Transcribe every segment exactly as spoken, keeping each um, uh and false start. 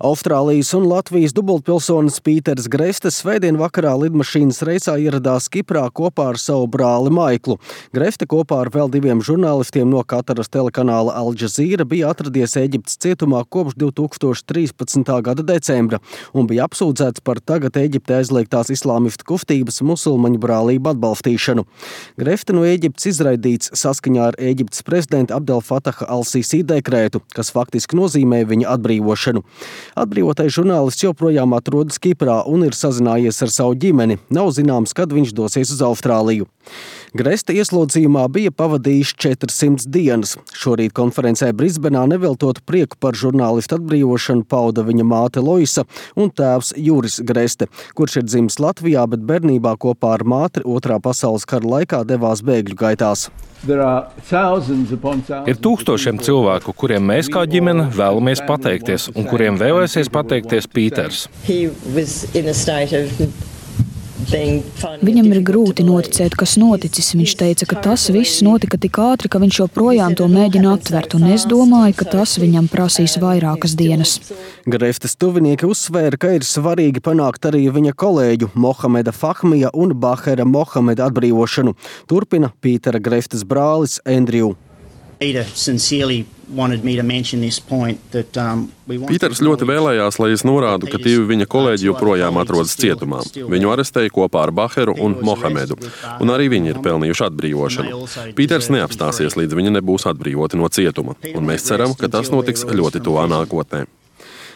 Austrālijas un Latvijas dubultpilsonis Pīters Grefte svētdien vakarā lidmašīnas reisā ieradās Kiprā kopā ar savu brāli Maiklu. Grefte kopā ar vēl diviem žurnālistiem no Kataras telekanāla Al Jazeera bija atradies Ēģiptes cietumā kopš divi tūkstoši trīspadsmitā gada decembra un bija apsūdzēts par tagad Ēģiptē aizliegtās islāmistu kustības musulmaņu brālību atbalstīšanu. Grefte no Ēģiptes izraidīts saskaņā ar Ēģiptes prezidenta Abdel Fataha al-Sisi dekrētu, kas faktiski nozīmē viņa atbrīvošanu. Atbrīvotais žurnālists joprojām atrodas Kiprā un ir sazinājies ar savu ģimeni. Nav zināms, kad viņš dosies uz Austrāliju. Grefte ieslodzījumā bija pavadījis četrsimt dienas. Šorīt konferencē Brisbenā neveltot prieku par žurnālistu atbrīvošanu pauda viņa māte Loisa un tēvs Juris Grefte, kurš ir dzimis Latvijā, bet bērnībā kopā ar māti otrā pasaules kara laikā devās bēgļu gaitās. Ir tūkstošiem cilvēku, kuriem mēs kā ģimene vēlamies pateikties un kuriem vēlēsies pateikties Pīters. Viņam ir grūti noticēt, kas noticis. Viņš teica, ka tas viss notika tik ātri, ka viņš joprojām to mēģina aptvert, un es domāju, ka tas viņam prasīs vairākas dienas. Greftes tuvinieki uzsvēra, ka ir svarīgi panākt arī viņa kolēģu Mohameda Fahmija un Bahera Mohameda atbrīvošanu. Turpina Pītera Greftes brālis Andrew. Pīters ļoti vēlējās, lai es norādu, ka divi viņa kolēģi joprojām atrodas cietumā. Viņu arestēja kopā ar Baheru un Mohamedu, un arī viņi ir pelnījuši atbrīvošanu. Pīters neapstāsies, līdz viņi nebūs atbrīvoti no cietuma, un mēs ceram, ka tas notiks ļoti tuvā nākotnē.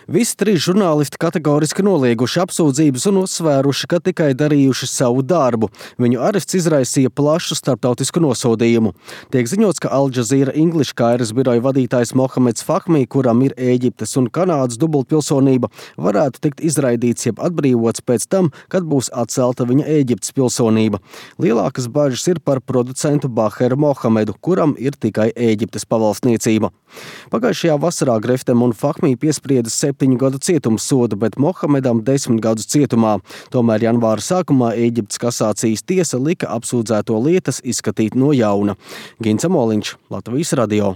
Visi trīs žurnālisti kategoriski nolieguši apsūdzības un uzsvēruši, ka tikai darījuši savu darbu. Viņu arests izraisīja plašu starptautisku nosodījumu. Tiek ziņots, ka Al Jazeera English kairas biroja vadītājs Mohameds Fahmī, kuram ir Ēģiptes un Kanādas dubultpilsonība, varētu tikt izraidīts jeb atbrīvots pēc tam, kad būs atcelta viņa Ēģiptes pilsonība. Lielākas bažas ir par producentu Baheru Mohamedu, kuram ir tikai Ēģiptes pavalstniecība. Pagājušajā vasarā Greftem un Fahmī piesprieda septiņu gadu cietumsodu, bet Mohamedam desmit gadus cietumā. Tomēr janvāra sākumā Ēģiptes kasācijas tiesa lika apsūdzēto lietas izskatīt no jauna. Gins Amoliņš, Latvijas radio.